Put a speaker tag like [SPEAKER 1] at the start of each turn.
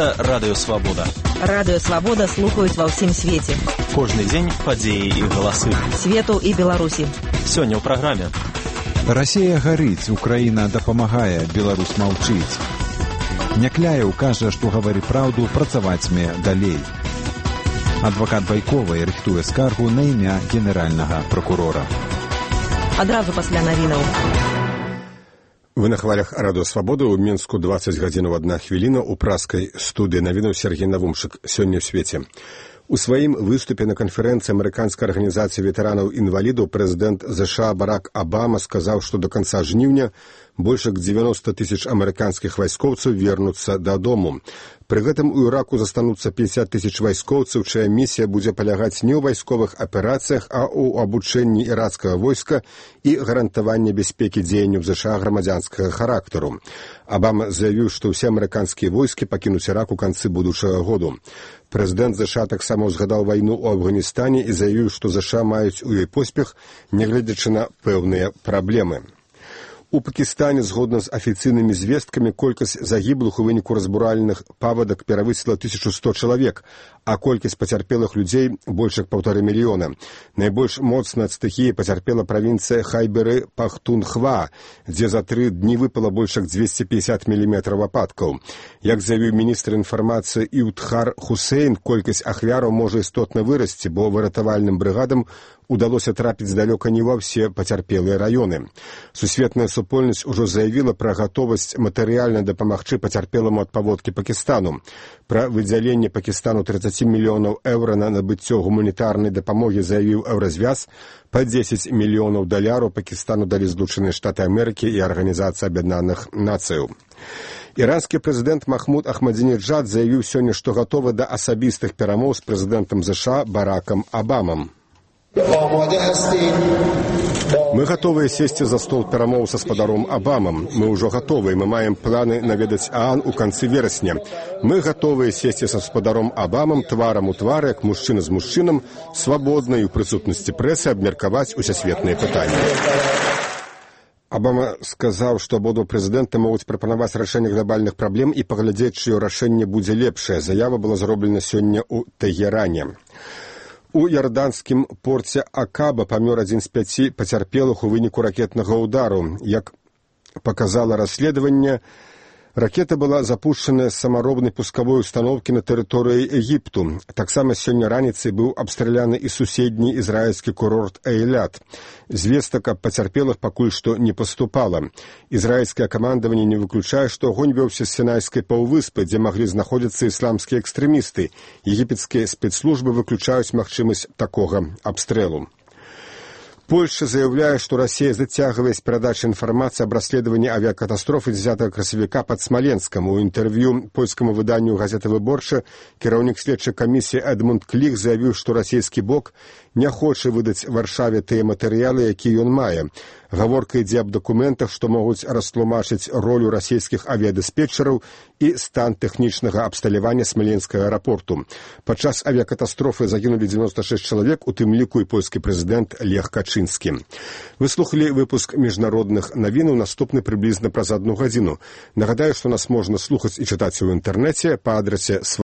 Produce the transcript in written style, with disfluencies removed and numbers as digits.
[SPEAKER 1] Гэта Радыё Свабода.
[SPEAKER 2] Радыё Свабода слухаюць ва ўсім свеце.
[SPEAKER 1] Кожны дзень падзеі і галасы.
[SPEAKER 2] Свету і Беларусі.
[SPEAKER 1] Сёння ў праграме.
[SPEAKER 3] Расія гарыць, Украіна дапамагае, Беларусь маўчыць. Някляеў кажа, што гавары праўду, працавацьме далей. Адвакат Байковай рыхтуе скаргу на імя генеральнага прокурора.
[SPEAKER 2] Адразу пасля навінаў.
[SPEAKER 4] Вы на хвалях Радыё Свабода. У Мінску 20 гадзінаў 1 хвіліна. У праскай студыі навінаў Сергей Навумшык. Сёння ў свеце. У сваім выступе на канферэнцыі амерыканскай арганізацыі ветэранаў-інвалідаў прэзідэнт ЗША Барак Абама сказаў, што до канца жніўня больш як 90 тысяч амерыканскіх вайскоўцаў вернуцца дадому. Пры гэтым у Іраку застануцца 50 тысяч вайскоўцаў, чая місія будзе палягаць не ў вайсковых аперацыях, а ў абучэнні ірацкага войска і гарантаванні бяспекі дзеянняў ЗША грамадзянскага характару. Абама заявіў, што ўсе амерыканскія войскі пакінуць Ірак у канцы будучага году. Прэзідэнт ЗША таксама ўзгадаў вайну ў Афганістане і заявіў, што ЗША маюць у ёй поспех, нягледзячы на пэўныя праблемы. У Пакістане, згодна з афіцыйнымі звесткамі, колькасць загіблых у выніку разбуральных паводак перавысіла 1100 чалавек, а колькасць пацярпелых людзей больш як 1,5 мільёна. Найбольш моцна ад стыхіі пацярпела правінцыя Хайберы-Пахтунхва, дзе за 3 дні выпала больш як 250 міліметраў ападкаў. Як заявіў міністр інфармацыі Іўдхар Хусейн, колькасць ахвяраў можа істотна вырасці, бо выратавальным брыгадам удалося трапіць далёка не ва ўсе пацярпелыя раёны. Сусветная супольнасць ужо заявіла пра гатовасць матэрыяльна дапамагчы пацярпеламу ад паводкі Пакістану. Пра выдзяленне Пакістану 30 мільёнаў еўра на набыццё гуманітарнай дапамогі заявіў Еўразвяз. Па 10 мільёнаў даляраў Пакістану далі Злучаныя Штаты Амерыкі і Арганізацыя Аб'яднаных Нацыяў. Іранскі прэзідэнт Махмуд Ахмадзінеджад заявіў сёння, што гатовы да асабістых перамоў з прэзідэнтам ЗША Баракам Абамам. Мы гатовыя сесці за стол перамоў са спадаром Абамам. Мы ўжо гатовыя, мы маем планы наведаць ААН у канцы верасня. Мы гатовыя сесці са спадаром Абамам тварам у твар, як мужчына з мужчынам, свабодна і ў прысутнасці прэсы абмеркаваць усесветныя пытанні. Абама сказаў, што абодва прэзідэнты могуць прапанаваць рашэнне глобальных праблем і паглядзець, чыё рашэнне будзе лепшае. Заява была зроблена сёння ў Тэгеране. У ярданскім порце Акаба памёр адзін з 5 пацярпелых у выніку ракетнага ўдару. Як паказала расследаванне, ракета была запушчаная з самаробнай пускавой установкі на тэрыторыі Егіпту. Таксама сёння раніцай быў абстраляны і суседні ізраільскі курорт Эйлят. Звестак аб пацярпелых пакуль што не паступала. Ізраільскае камандаванне не выключае, што агонь вёўся з Сінайскай паўвыспы, дзе маглі знаходзіцца ісламскія экстрэмісты. Егіпецкія спецслужбы выключаюць магчымасць такога абстрэлу. Польша заяўляе, што Расія зацягвае з перадачай інфармацыі аб расследаванні авіякатастрофы 10 красавіка пад Смаленскам. У інтэрв'ю польскаму выданню газеты «Выборча» кіраўнік следчай камісіі Эдмунд Кліх заявіў, што расійскі бок не хоча выдаць Варшаве тыя матэрыялы, якія ён мае. Гаворка ідзе аб дакументах, што могуць растлумачыць ролю расійскіх авіядыспетчараў і стан тэхнічнага абсталявання Смаленскага аэрапорту. Падчас авіякатастрофы загінулі 96 чалавек, у тым ліку і польскі прэзідэнт Лех Качынскі. Вы слухалі выпуск міжнародных навінаў, наступны прыблізна праз 1 гадзіну. Нагадаю, што нас можна слухаць і чытаць у інтэрнэце па адрасе